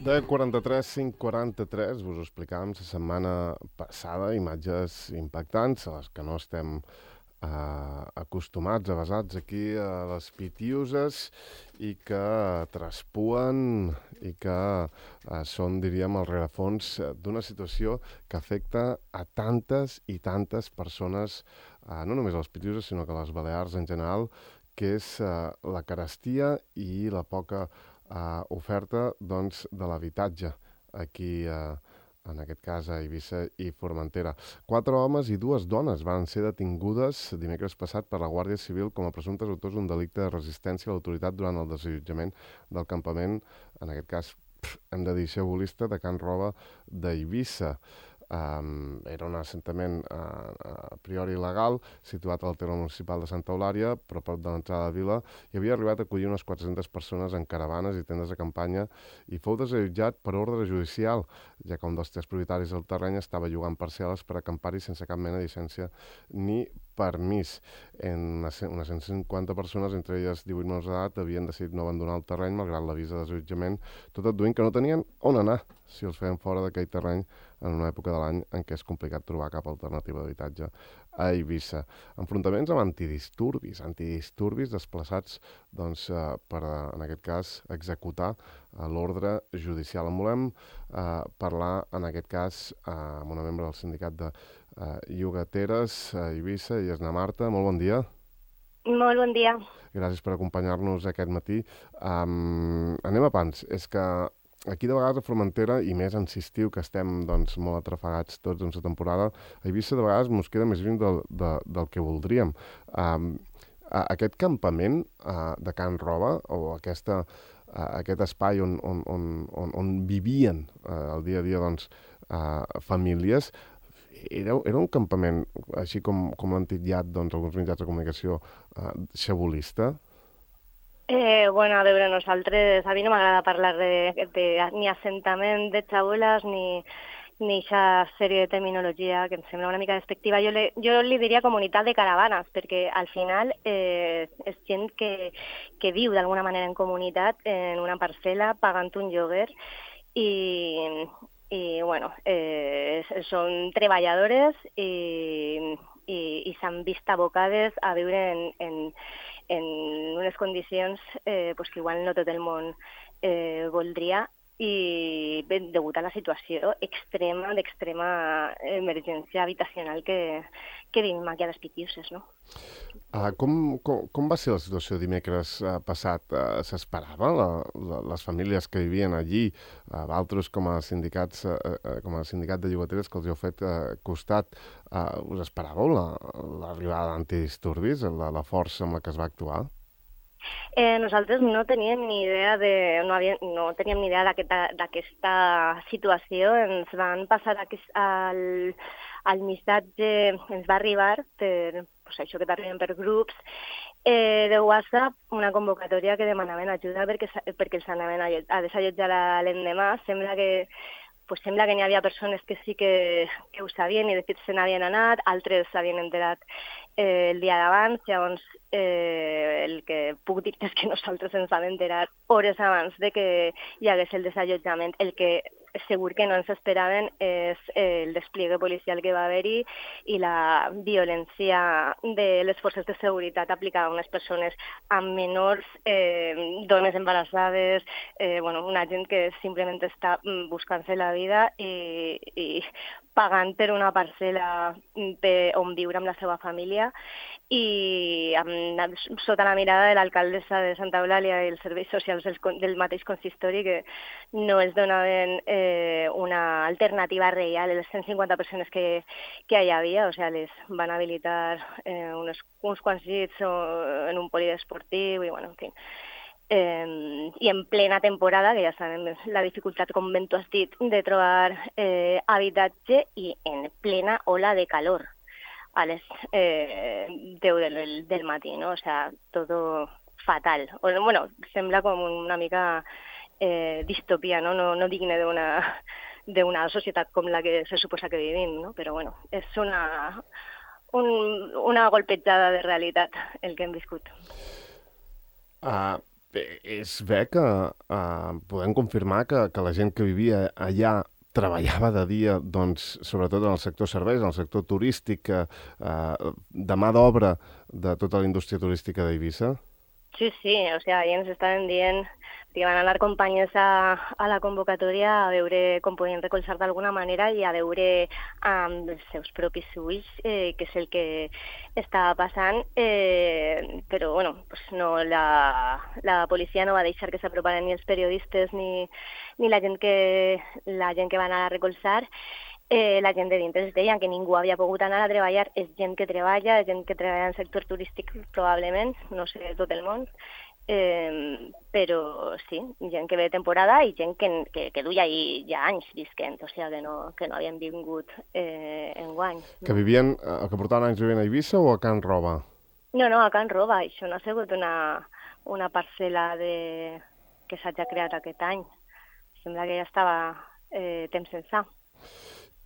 10:43, 5:43, us ho explicàvem la setmana passada, imatges impactants a les que no estem acostumats, avasats aquí a les Pitiuses i que traspuen i que són, diríem, el rerefons d'una situació que afecta a tantes i tantes persones, no només a les Pitiuses, sinó que a les Balears en general, que és la carestia i la poca oferta doncs, de l'habitatge aquí, en aquest cas a Eivissa i Formentera. 4 homes i 2 dones van ser detingudes dimecres passat per la Guàrdia Civil com a presumptes autors d'un delicte de resistència a l'autoritat durant el desallotjament del campament, en aquest cas, hem de dir xabolista, de Can Roba d'Eivissa. Era un assentament a priori il·legal, situat al terme municipal de Santa Eulària, però a prop de l'entrada de Vila, i havia arribat a acollir unes 400 persones en caravanes i tendes de campanya i fou desallotjat per ordre judicial, ja que un dels 3 propietaris del terreny estava llogant parcel·les per acampar-hi sense cap mena de llicència ni permís. Unes 150 persones, entre elles 18 menors d'edat, havien decidit no abandonar el terreny malgrat l'avís de desallotjament, tot adduint que no tenien on anar si els feien fora d'aquell terreny en una època de l'any en què és complicat trobar cap alternativa d'habitatge a Eivissa. Enfrontaments amb antidisturbis desplaçats doncs, per, en aquest cas, executar l'ordre judicial. En volem parlar, en aquest cas, amb una membre del sindicat de llogateres a Eivissa, i és na Marta. Molt bon dia. Molt bon dia. Gràcies per acompanyar-nos aquest matí. Anem a pams. És que aquí de vegades a Formentera, i més en estiu, que estem doncs, molt atrafegats tots en la temporada, a Eivissa de vegades ens queda més lluny del que voldríem. Aquest campament de Can Roba, o aquest espai on vivien el dia a dia doncs, famílies, era un campament, així com l'han titllat doncs, alguns mitjans de comunicació, xabolista? Bueno, a veure, nosaltres, a mi no m'agrada parlar ni assentament de xaboles ni aquesta sèrie de terminologia que em sembla una mica despectiva. Jo li diria comunitat de caravanes, perquè al final és gent que viu d'alguna manera en comunitat, en una parcel·la, pagant un lloguer, i bueno, són treballadores i s'han vist abocades a viure en unes condicions pues que igual no tot el món voldria, i degut a la situació d'extrema emergència habitacional que vivim aquí a les Pitiuses, no? Com va ser la situació dimecres passat? S'esperava les famílies que vivien allí, altres com a sindicat de llogateres que els heu fet costat, us esperàveu l'arribada d'antidisturbis, la força amb la que es va actuar? Nosaltres no teníem ni idea d'aquesta situació. Ens van passar el missatge, ens va arribar per això que t'arriben per grups de WhatsApp, una convocatòria que demanaven ajuda perquè els anaven a desallotjar l'endemà. Sembla que n'hi havia persones que sí que ho sabien i de fet se n'havien anat, altres s'havien enterat el dia d'abans. Llavors el que puc dir és que nosaltres ens vam enterar hores abans de que hi hagués el desallotjament. El que segur que no ens esperaven és el despliegue policial que va haver-hi i la violència de les forces de seguretat aplicada a unes persones amb menors, dones embarassades, una gent que simplement està buscant-se la vida i pagant per una parcel·la on viure amb la seva família, i sota la mirada de l'alcaldessa de Santa Eulàlia i els serveis socials del mateix consistori, que no es donaven una alternativa real a les 150 persones que hi havia. O sigui, les van habilitar uns quants llits en un polidesportiu i, bueno, en fi. I en plena temporada, que ja sabem la dificultat, com ben tu has dit, de trobar habitatge, i en plena ola de calor a les 10 del matí, no? O sea, todo fatal. Bueno, sembla com una mica distopia, no? No digne d'una societat com la que se suposa que vivim, no? Però bueno, és una golpejada de realitat el que hem viscut. és bé que podem confirmar que la gent que vivia allà treballava de dia, doncs, sobretot en el sector serveis, en el sector turístic, de mà d'obra de tota la indústria turística d'Eivissa? Sí, sí, o sea, ahí ens estaven dient que van anar companyes a la convocatòria a veure com podien recolzar d'alguna manera i a veure amb els seus propis ulls què és el que estava passant, però bueno, pues no, la policia no va deixar que s'aproparen ni els periodistes ni la gent que va anar a recolzar. La gent de dintre es deia que ningú havia pogut anar a treballar, és gent que treballa en el sector turístic probablement, no sé tot el món, però sí, gent que ve de temporada i gent que duia ja anys visquent, o sigui que no havien vingut enguany. Que vivien, que portaven anys vivint a Eivissa o a Can Roba? No, a Can Roba, això no ha sigut una parcel·la que s'ha creat aquest any. Sembla que ja estava temps ençà.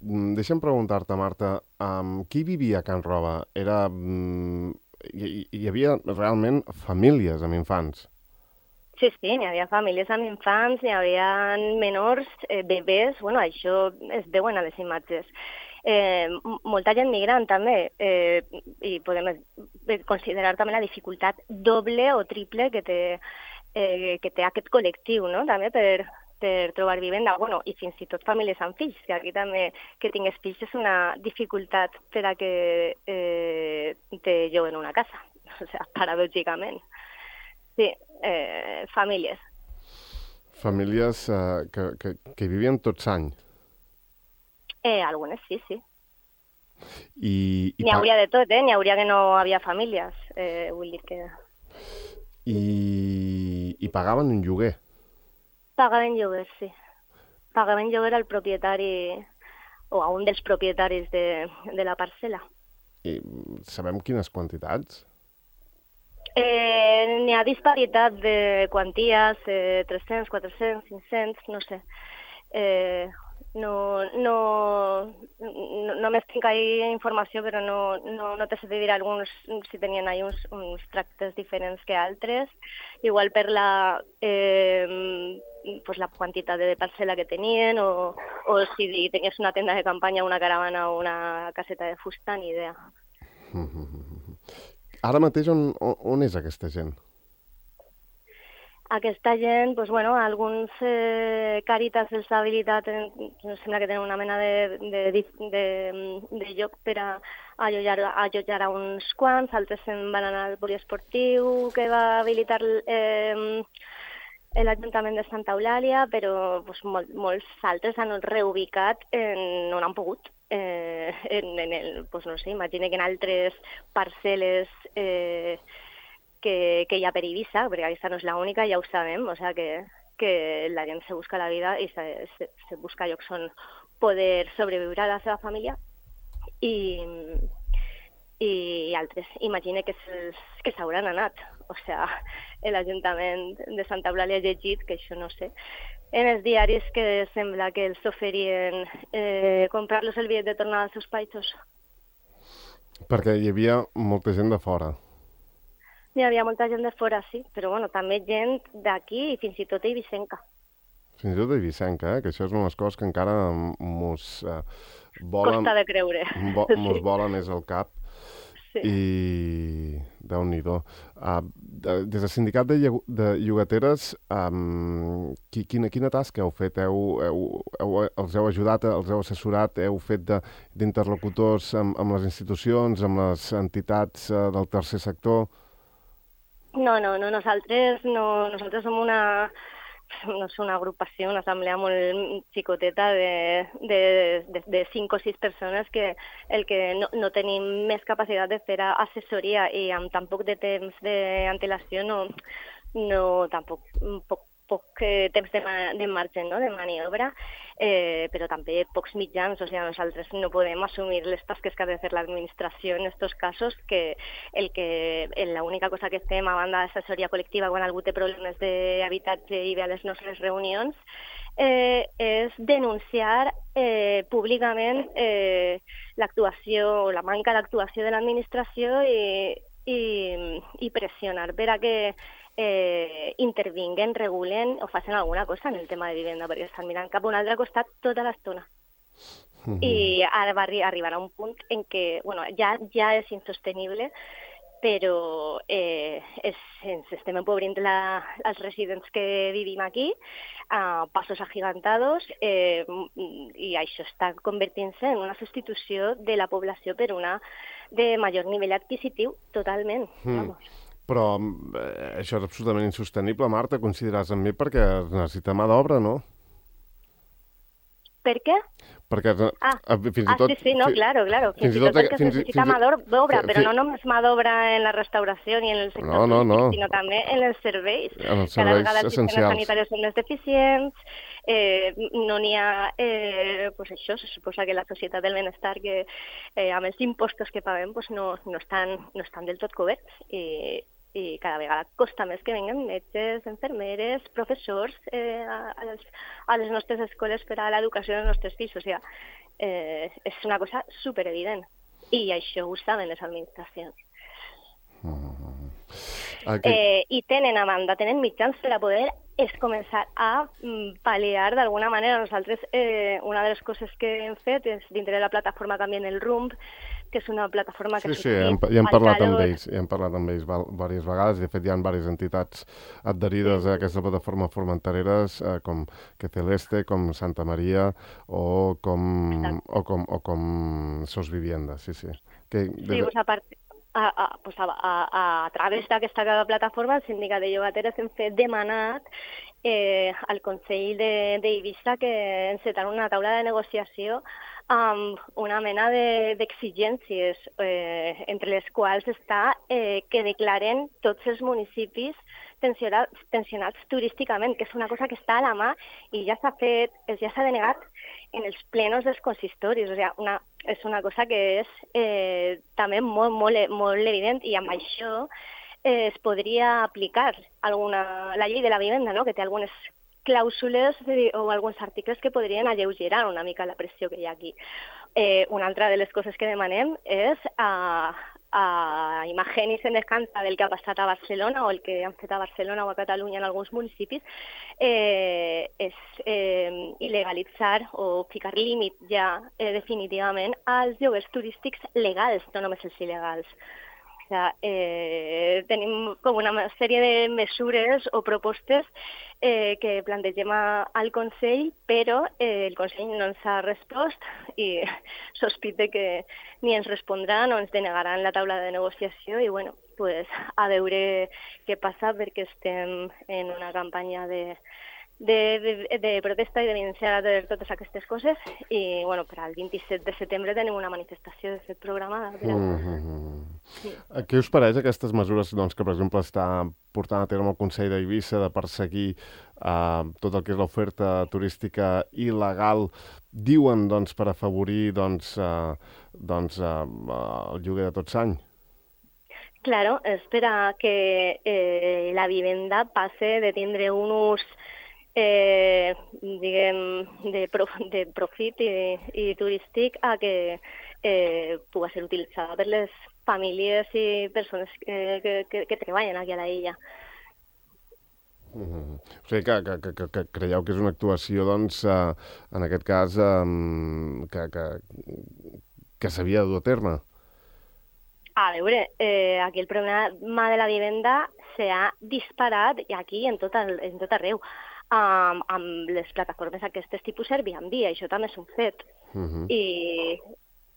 Deixa'm preguntar-te, Marta, qui vivia a Can Roba? Hi havia realment famílies amb infants? Sí, n'hi havia famílies amb infants, n'hi havia menors, bebès, bueno, això es veuen a les imatges. Molta gent migrant també, i podem considerar també la dificultat doble o triple que té aquest col·lectiu, no? També per trobar vivenda, bueno, i fins i tot famílies amb fills, que aquí també que tingues fills és una dificultat per a que te lloguen una casa, o sigui, paradògicament. Sí, famílies. Famílies que vivien tots l'any? Algunes sí. N'hi hauria de tot, n'hi hauria que no havia famílies, vull dir que... I pagaven un lloguer? Pagaven lloguer, sí. Pagaven lloguer al propietari o a un dels propietaris de la parcel·la. I sabem quines quantitats? N'hi ha disparitat de quanties, 300, 400, 500, no sé. No més tinc ahí informació, però no te sé dir alguns si tenien ahí uns tractes diferents que altres. Igual per la quantitat de parcel·la que tenien o si tenies una tenda de campanya, una caravana o una caseta de fusta, ni idea. Ara mateix on és aquesta gent? Aquesta gent, doncs, bueno, alguns Càritas els ha habilitat, sembla que tenen una mena de lloc per a allotjar a uns quants, altres se'n van anar al poliesportiu que va habilitar l'Ajuntament de Santa Eulàlia, però doncs, molts altres han reubicat on han pogut. Doncs, no sé, imagina que en altres parcel·les que hi ha per Eivissa, perquè aquesta no és l'única, ja ho sabem, o sigui que la gent se busca la vida i se busca llocs on poder sobreviure a la seva família i altres. Imagina que s'hauran anat. O sigui, l'Ajuntament de Santa Eulàlia ha llegit, que això no sé, en els diaris que sembla que els oferien comprar-los el bitllet de tornada als seus països. Perquè hi havia molta gent de fora. Hi havia molta gent de fora, sí, però bueno, també gent d'aquí i fins i tot eivissenca. Fins i tot eivissenca, que això és una de les coses que encara mos volen... Costa de creure. Mos volen és el cap. Sí. I Déu-n'hi-do. Des del sindicat de llogateres, quina tasca heu fet? Els heu ajudat, els heu assessorat, heu fet d'interlocutors amb les institucions, amb les entitats del tercer sector? No, nosaltres som una agrupació, una assemblea molt xicoteta de 5 o 6 persones que el que no tenim més capacitat de fer assessoria i amb tan poc de temps d'antelació tampoc poc temps de marge, no?, de maniobra, però també pocs mitjans. O sigui, nosaltres no podem assumir les tasques que ha de fer l'administració en aquests casos, que l'única cosa que fem a banda d'assessoria col·lectiva quan algú té problemes d'habitatge i ve a les nostres reunions és denunciar públicament l'actuació o la manca d'actuació de l'administració i pressionar per a que intervinguen, regulen o facin alguna cosa en el tema de vivenda, perquè estan mirant cap a un altre costat tota l'estona. I ara arribarà un punt en què ja és insostenible, però ens estem empobrint els residents que vivim aquí a passos agigantados i això està convertint-se en una substitució de la població per una de major nivell adquisitiu, totalment. Però això és absolutament insostenible, Marta, consideraràs amb mi, perquè necessita mà d'obra, no? Per què? Perquè fins i tot... Sí, no, claro. Fins i tot perquè es necessita mà d'obra, però no només mà d'obra en la restauració ni en el sector turístic, sinó també en els serveis. En els serveis cada vegada els sistemes sanitaris són més deficients, no n'hi ha... Pues això, se suposa que la societat del benestar, que amb els impostos que paguem, pues no estan del tot coberts i cada vegada costa més que venguen metges, infermeres, professors a les nostres escoles per a l'educació dels nostres fills. O sigui, és una cosa superevident. I això ho saben les administracions. I tenen a banda, tenen mitjans per a poder començar a pal·liar d'alguna manera. Nosaltres, una de les coses que hem fet és, dintre de la plataforma Canvien el Rumb, que és una plataforma que... Sí, ja hem parlat amb ells, diverses vegades. De fet, hi ha diverses entitats adherides a aquesta plataforma formentereres, com Que Celeste, com Santa Maria o com Sos Vivienda. Sí. Sí, pues a través d'aquesta plataforma, el sindicat de llogateres hem fet demanat al Consell d'Eivissa que encetar una taula de negociació amb una mena d'exigències, entre les quals està que declaren tots els municipis tensionats turísticament, que és una cosa que està a la mà i ja s'ha fet, ja s'ha denegat en els plenos dels consistoris. O sigui, és una cosa que és també molt evident, i amb això es podria aplicar la llei de la vivenda, no?, que té algunes clàusules o alguns articles que podrien alleugerar una mica la pressió que hi ha aquí. Una altra de les coses que demanem és imagen i semejança del que ha passat a Barcelona o el que han fet a Barcelona o a Catalunya en alguns municipis, és il·legalitzar o ficar límit ja definitivament als lloguers turístics legals, no només els il·legals. Tenim com una sèrie de mesures o propostes que plantegem al Consell, però el Consell no ens ha respost i sospite que ni ens respondran o ens denegaran la taula de negociació. I bueno, pues, a veure què passa, perquè estem en una campanya de protesta i d'evidenciar totes aquestes coses. I bueno, per al 27 de setembre tenim una manifestació de fet programada. Sí. Què us pareix aquestes mesures que, per exemple, està portant a terme el Consell d'Eivissa de perseguir tot el que és l'oferta turística il·legal, diuen per afavorir el lloguer de tot l'any? Claro, és per a que la vivenda passe de tindre un ús de profit i turístic a que pugui ser utilitzada per les famílies i persones que treballen aquí a la illa. O sigui que creieu que és una actuació, en aquest cas, que s'havia de dur a terme? A veure, aquí el problema de la vivenda s'ha disparat aquí en tot arreu, amb les plataformes aquestes tipus Airbnb, això també és un fet.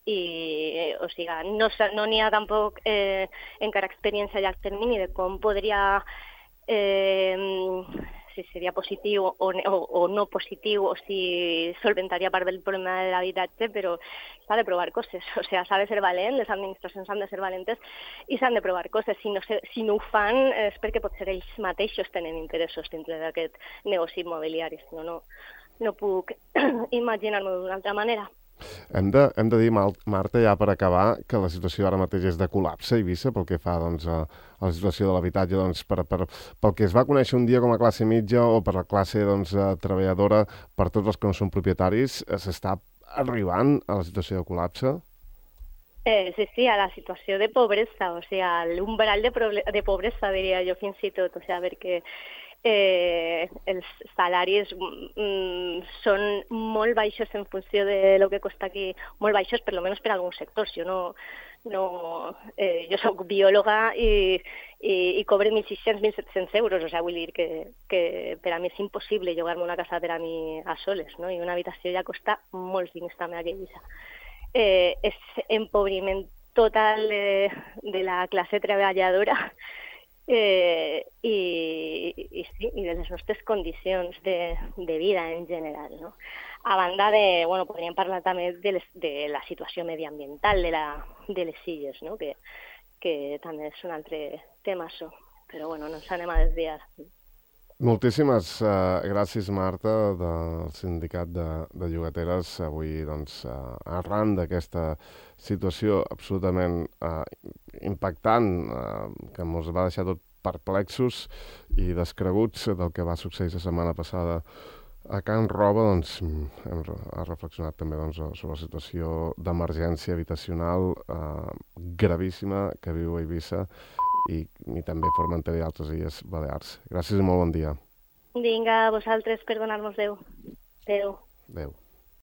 O sigui, no n'hi ha tampoc encara experiència a llarg termini de com podria, si seria positiu o no positiu, o si solventaria part del problema de l'habitatge, però s'ha de provar coses. O sigui, s'ha de ser valent, les administracions han de ser valentes i s'han de provar coses. Si no ho fan és perquè potser ells mateixos tenen interessos dintre d'aquest negoci immobiliari. Si no puc imaginar-m'ho d'una altra manera. Hem de dir, Marta, ja per acabar, que la situació ara mateix és de col·lapse a Eivissa pel que fa a la situació de l'habitatge, pel que es va conèixer un dia com a classe mitja o per la classe treballadora, per tots els que no són propietaris, s'està arribant a la situació de col·lapse? Sí, a la situació de pobresa, o sigui, a l'umbral de pobresa, diria jo, fins i tot, o sigui, perquè els salaris són molt baixos en funció de lo que costa aquí, molt baixos, per almenys per a alguns sectors. Jo soc biòloga i cobre 1.600, 1.700 euros, o sigui, vull dir que per a mi és impossible llogar-me una casa per a mi a soles, no? I una habitació ja costa molts diners també a Eivissa. És empobriment total de la classe treballadora sí, i de les nostres condicions de vida en general, no? A banda de, bueno, podríem parlar també de la situació mediambiental de les illes, no? Que també és un altre tema, això. Però bueno, no ens anem a desviar. Moltíssimes gràcies, Marta, del Sindicat de Llogateres. Avui, doncs, arran d'aquesta situació absolutament impactant, que ens va deixar tot perplexos i descreguts del que va succeir la setmana passada a Can Roba, doncs, hem reflexionat també sobre la situació d'emergència habitacional gravíssima que viu Eivissa i també Formentera i altres illes Balears. Gràcies i molt bon dia. Vinga, a vosaltres per donar-nos veu. Adéu. Adéu.